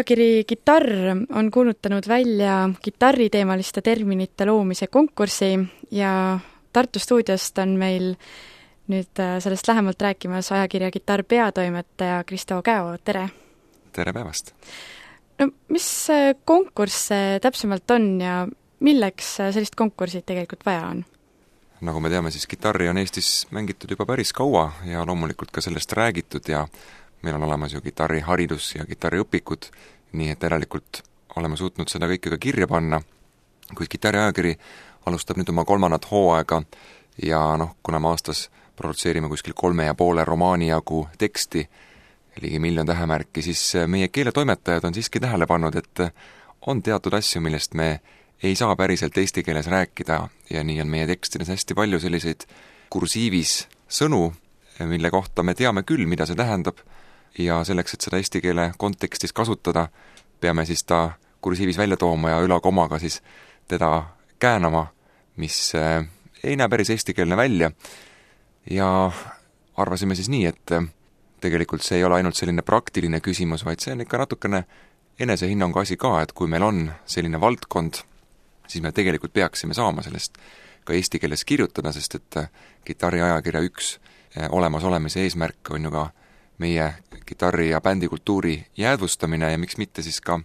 ajakiri Kitarr on kuulutanud välja kitarriteemaliste terminite loomise konkursi ja Tartu stuudiost on meil nüüd sellest lähemalt rääkimas ajakirja Kitarr peatoimetaja Kristo Käo, tere! Tere päevast! No, mis konkurss see täpsemalt on ja milleks sellist konkursit tegelikult vaja on? Nagu me teame, siis kitarri on Eestis mängitud juba päris kaua ja loomulikult ka sellest räägitud ja meil on olemas ju kitarriharidus ja kitarriõpikud, nii et järelikult oleme suutnud seda kõike ka kirja panna, kuid Kitarri ajakiri alustab nüüd oma 3. hooaega ja kuna me aastas produtseerime kuskil 3,5 romaani jagu teksti, ligi 1 miljon tähemärki, siis meie keeletoimetajad on siiski tähele pannud, et on teatud asju, millest me ei saa päriselt eesti keeles rääkida ja nii on meie tekstides hästi palju selliseid kursiivis sõnu, mille kohta me teame küll, mida see tähendab ja selleks, et seda eesti keele kontekstis kasutada, peame siis ta kursiivis välja tooma ja ülakomaga siis teda käänama, mis ei näe päris eestikeelne välja ja arvasime siis nii, et tegelikult see ei ole ainult selline praktiline küsimus, vaid see on ikka natukene enesehinnangu asi ka, et kui meil on selline valdkond, siis me tegelikult peaksime saama sellest ka eesti keeles kirjutada, sest et Kitarri ajakirja üks olemasolemise eesmärk on ju ka meie kitarri- ja bändikultuuri jäädvustamine ja miks mitte siis ka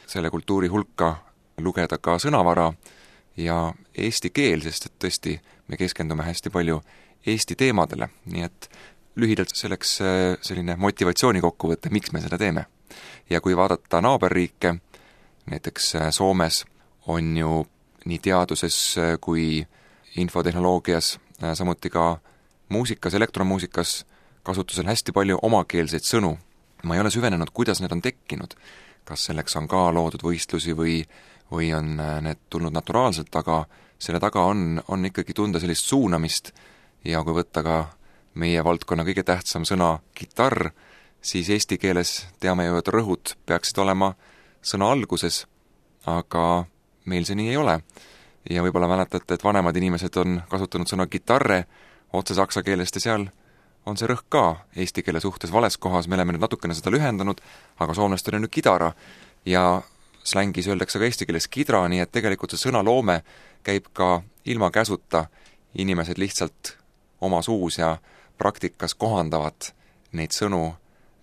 selle kultuuri hulka lugeda ka sõnavara ja eesti keel, sest et tõesti me keskendume hästi palju eesti teemadele, nii et lühidalt selleks selline motivatsiooni kokkuvõte, miks me seda teeme. Ja kui vaadata naaberriike, näiteks Soomes on ju nii teaduses kui infotehnoloogias, samuti ka muusikas, elektromuusikas kasutusel hästi palju omakeelseid sõnu. Ma ei ole süvenenud, kuidas need on tekkinud. Kas selleks on ka loodud võistlusi või on need tulnud naturaalselt, aga selle taga on ikkagi tunda sellist suunamist ja kui võtta ka meie valdkonna kõige tähtsam sõna kitarr, siis eesti keeles teame ju, et rõhud peaksid olema sõna alguses, aga meil see nii ei ole. Ja võib-olla mäletate, et vanemad inimesed on kasutanud sõna kitarre otse saksa keelest ja seal on see rõhk ka eesti keele suhtes vales kohas, me oleme nüüd natukene seda lühendanud, aga soomlastel on ju kidara ja slängis öeldakse ka eesti keeles kidra, nii et tegelikult see sõnaloome käib ka ilma käsuta, inimesed lihtsalt oma suus ja praktikas kohandavad neid sõnu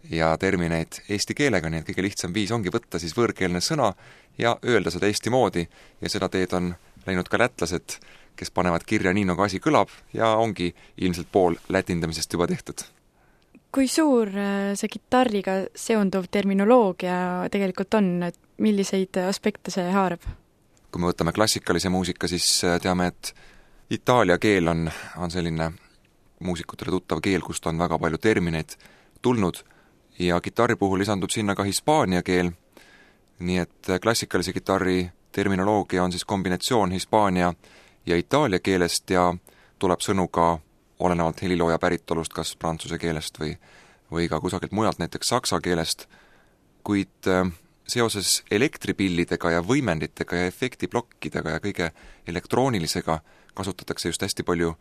ja termineid eesti keelega, nii et kõige lihtsam viis ongi võtta siis võõrkeelne sõna ja öelda seda eesti moodi ja seda teed on läinud ka lätlased, kes panevad kirja nii, nagu asi kõlab ja ongi ilmselt pool lätindamisest juba tehtud. Kui suur see kitarriga seonduv terminoloogia tegelikult on, et milliseid aspekte see haarab? Kui me võtame klassikalise muusika, siis teame, et itaalia keel on selline muusikutele tuttav keel, kust on väga palju termineid tulnud ja kitarri puhul lisandub sinna ka hispaania keel, nii et klassikalise kitarri terminoloogia on siis kombinatsioon hispaania ja itaalia keelest ja tuleb sõnu ka olenevalt helilooja päritolust, kas prantsuse keelest või ka kusagilt mujalt, näiteks saksa keelest, kuid seoses elektripillidega ja võimenditega ja efektiblokkidega ja kõige elektroonilisega kasutatakse just hästi palju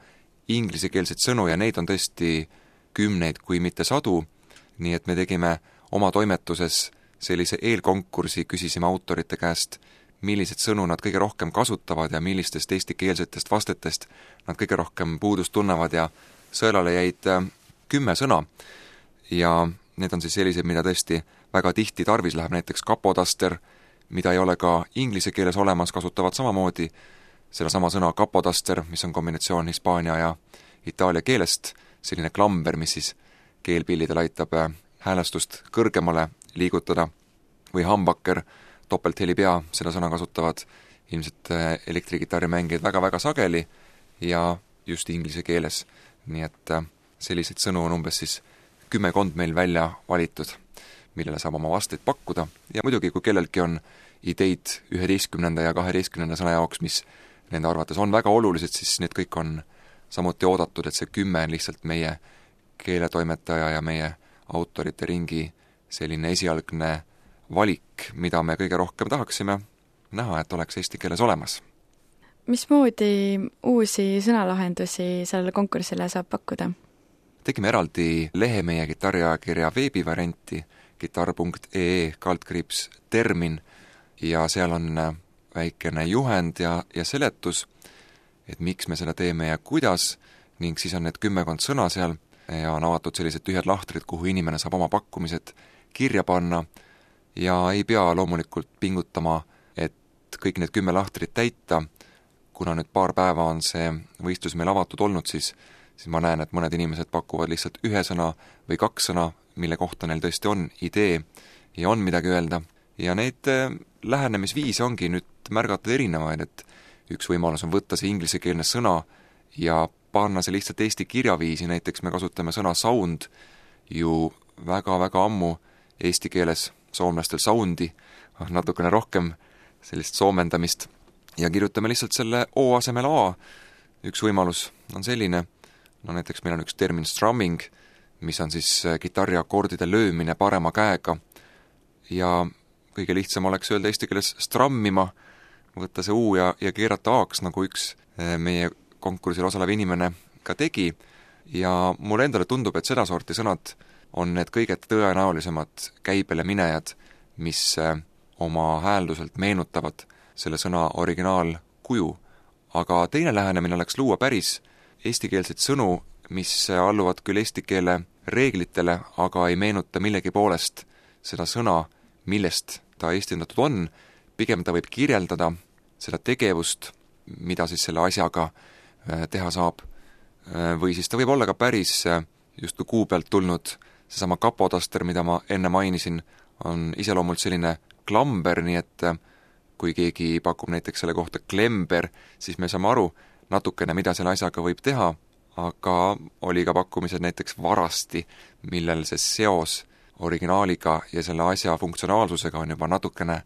inglisekeelseid sõnu ja neid on tõesti kümneid, kui mitte sadu, nii et me tegime oma toimetuses sellise eelkonkursi, küsisime autorite käest, millised sõnu nad kõige rohkem kasutavad ja millistest eestikeelsetest vastetest nad kõige rohkem puudust tunnevad ja sõelale jäid 10 sõna ja need on siis sellised, mida tõesti väga tihti tarvis läheb, näiteks kapotaster, mida ei ole ka inglise keeles olemas, kasutavad samamoodi sedasama sõna kapotaster, mis on kombinatsioon hispaania ja itaalia keelest, selline klamber, mis siis keelpillidel aitab häälestust kõrgemale liigutada, või hambaker, topelthelipea, seda sõna kasutavad ilmselt elektrikitarrimängijad väga-väga sageli ja just inglise keeles. Nii et selliseid sõnu on umbes siis 10 meil välja valitud, millele saab oma vasteid pakkuda ja muidugi, kui kellelgi on ideid 11. ja 12. sõna jaoks, mis nende arvates on väga olulised, siis need kõik on samuti oodatud, et see 10 on lihtsalt meie keeletoimetaja ja meie autorite ringi selline esialgne valik, mida me kõige rohkem tahaksime näha, et oleks eesti keeles olemas. Mismoodi uusi sõnalahendusi sellele konkursile saab pakkuda? Tegime eraldi lehe meie kitarriajakirja veebivarianti, kitarr.ee/termin ja seal on väikene juhend ja seletus, et miks me seda teeme ja kuidas, ning siis on need 10 sõna seal ja on avatud sellised tühjad lahtrid, kuhu inimene saab oma pakkumised kirja panna ja ei pea loomulikult pingutama, et kõik need 10 lahtrit täita. Kuna nüüd paar päeva on see võistlus meil avatud olnud, siis ma näen, et mõned inimesed pakuvad lihtsalt 1 sõna või 2 sõna, mille kohta neil tõesti on idee ja on midagi öelda. Ja neid lähenemisviise ongi nüüd märgatud erinevaid, et üks võimalus on võtta see inglisekeelne sõna ja panna see lihtsalt eesti kirjaviisi, näiteks me kasutame sõna sound ju väga-väga ammu eesti keeles, soomlastel soundi, natukene rohkem sellist soomendamist, ja kirjutame lihtsalt selle O asemel A. Üks võimalus on selline, no näiteks meil on üks termin strumming, mis on siis kitarriakordide löömine parema käega, ja kõige lihtsam oleks öelda eesti keeles strammima, võtta see U ja keerata A-ks, nagu üks meie konkursil osalev inimene ka tegi, ja mulle endale tundub, et sedasorti sõnad on need kõige tõenäolisemad käibele minejad, mis oma häälduselt meenutavad selle sõna originaalkuju. Aga teine lähenemine oleks luua päris eestikeelseid sõnu, mis alluvad küll eesti keele reeglitele, aga ei meenuta millegi poolest seda sõna, millest ta eestindatud on, pigem ta võib kirjeldada seda tegevust, mida siis selle asjaga teha saab. Või siis ta võib olla ka päris justkui kuu pealt tulnud, seesama kapotaster, mida ma enne mainisin, on iseloomult selline klamber, nii et kui keegi pakub näiteks selle kohta klember, siis me saame aru natukene, mida selle asjaga võib teha, aga oli ka pakkumised näiteks varasti, millel see seos originaaliga ja selle asja funktsionaalsusega on juba natukene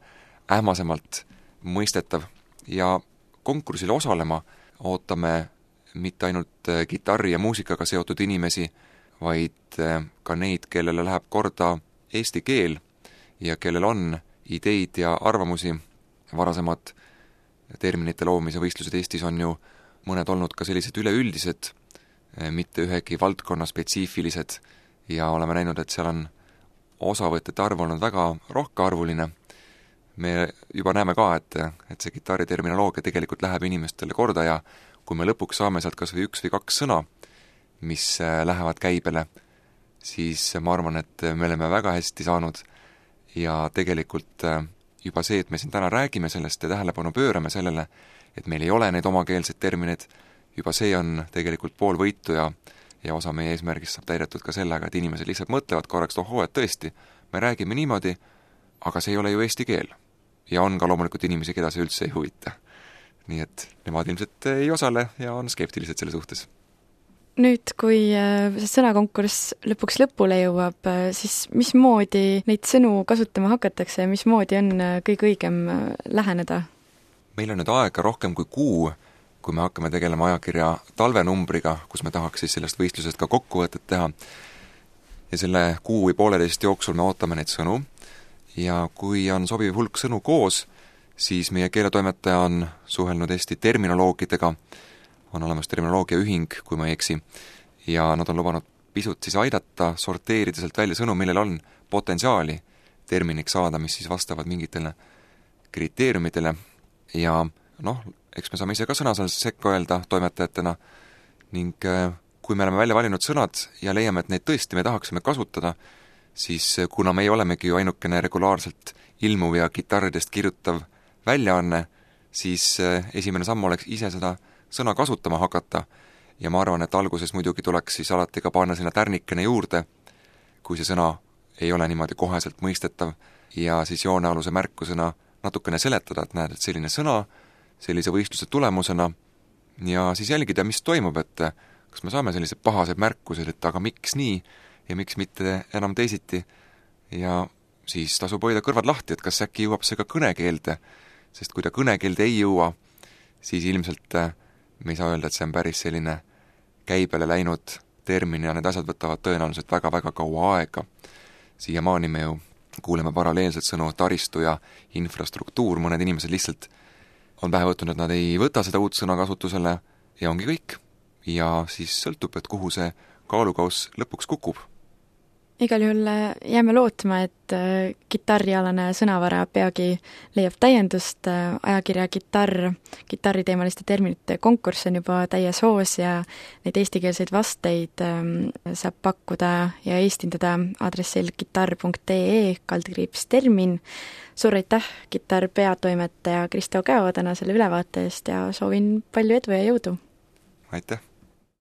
ähmasemalt mõistetav. Ja konkursil osalema ootame mitte ainult kitarri ja muusikaga seotud inimesi, vaid ka neid, kellele läheb korda eesti keel ja kellel on ideid ja arvamusi. Varasemad terminite loomise võistlused Eestis on ju mõned olnud ka sellised üleüldised, mitte ühegi valdkonna spetsiifilised, ja oleme näinud, et seal on osavõtjate arv olnud väga rohkearvuline. Me juba näeme ka, et see kitarriterminoloogia tegelikult läheb inimestele korda ja kui me lõpuks saame sealt kas või 1 või 2 sõna, mis lähevad käibele, siis ma arvan, et me oleme väga hästi saanud ja tegelikult juba see, et me siin täna räägime sellest ja tähelepanu pöörame sellele, et meil ei ole neid omakeelseid termineid, juba see on tegelikult pool võitu ja osa meie eesmärgist saab täidetud ka sellega, et inimesed lihtsalt mõtlevad korraks, ohoo, et tõesti, me räägime niimoodi, aga see ei ole ju eesti keel. Ja on ka loomulikult inimesi, keda see üldse ei huvita. Nii et nemad ilmselt ei osale ja on skeptilised selle suhtes. Nüüd, kui see sõnakonkurss lõpuks lõpule jõuab, siis mismoodi neid sõnu kasutama hakatakse ja mismoodi on kõige õigem läheneda? Meil on nüüd aega rohkem kui kuu, kui me hakkame tegelema ajakirja talvenumbriga, kus me tahaks siis sellest võistlusest ka kokkuvõtet teha. Ja selle kuu või 1,5 jooksul me ootame neid sõnu ja kui on sobiv hulk sõnu koos, siis meie keeletoimetaja on suhelnud Eesti terminoloogidega, on olemas terminoloogiaühing, kui ma ei eksi, ja nad on lubanud pisut siis aidata sorteerida sealt välja sõnu, millel on potentsiaali terminiks saada, mis siis vastavad mingitele kriteeriumidele ja noh, eks me saame ise ka sõna seal sekka öelda toimetajatena ning kui me oleme välja valinud sõnad ja leiame, et neid tõesti me tahaksime kasutada, siis kuna meie olemegi ju ainukene regulaarselt ilmuv ja kitarridest kirjutav väljaanne, siis esimene samm oleks ise seda sõna kasutama hakata ja ma arvan, et alguses muidugi tuleks siis alati ka panna sinna tärnikene juurde, kui see sõna ei ole niimoodi koheselt mõistetav ja siis joonealuse märkusena natukene seletada, et näed, et selline sõna sellise võistluse tulemusena ja siis jälgida, mis toimub, et kas me saame sellised pahased märkused, et aga miks nii ja miks mitte enam teisiti ja siis tasub hoida kõrvad lahti, et kas äkki jõuab see ka kõnekeelde, sest kui ta kõnekeelde ei jõua, siis ilmselt me ei saa öelda, et see on päris selline käibele läinud termin ja need asjad võtavad tõenäoliselt väga-väga kaua aega. Siiamaani me ju kuuleme paralleelselt sõnu taristu ja infrastruktuur, mõned inimesed lihtsalt on pähe võtnud, et nad ei võta seda uut sõna kasutusele ja ongi kõik. Ja siis sõltub, et kuhu see kaalukauss lõpuks kukub. igal juhul jääme lootma, et kitarrialane sõnavara peagi leiab täiendust, ajakirja kitarriteemaliste terminite konkurss on juba täies hoos ja neid eestikeelseid vasteid saab pakkuda ja eestindada aadressil kitarr.ee/termin. Suur aitäh, Kitarr peatoimetaja Kristo Käo täna selle ülevaate eest ja soovin palju edu ja jõudu! Aitäh!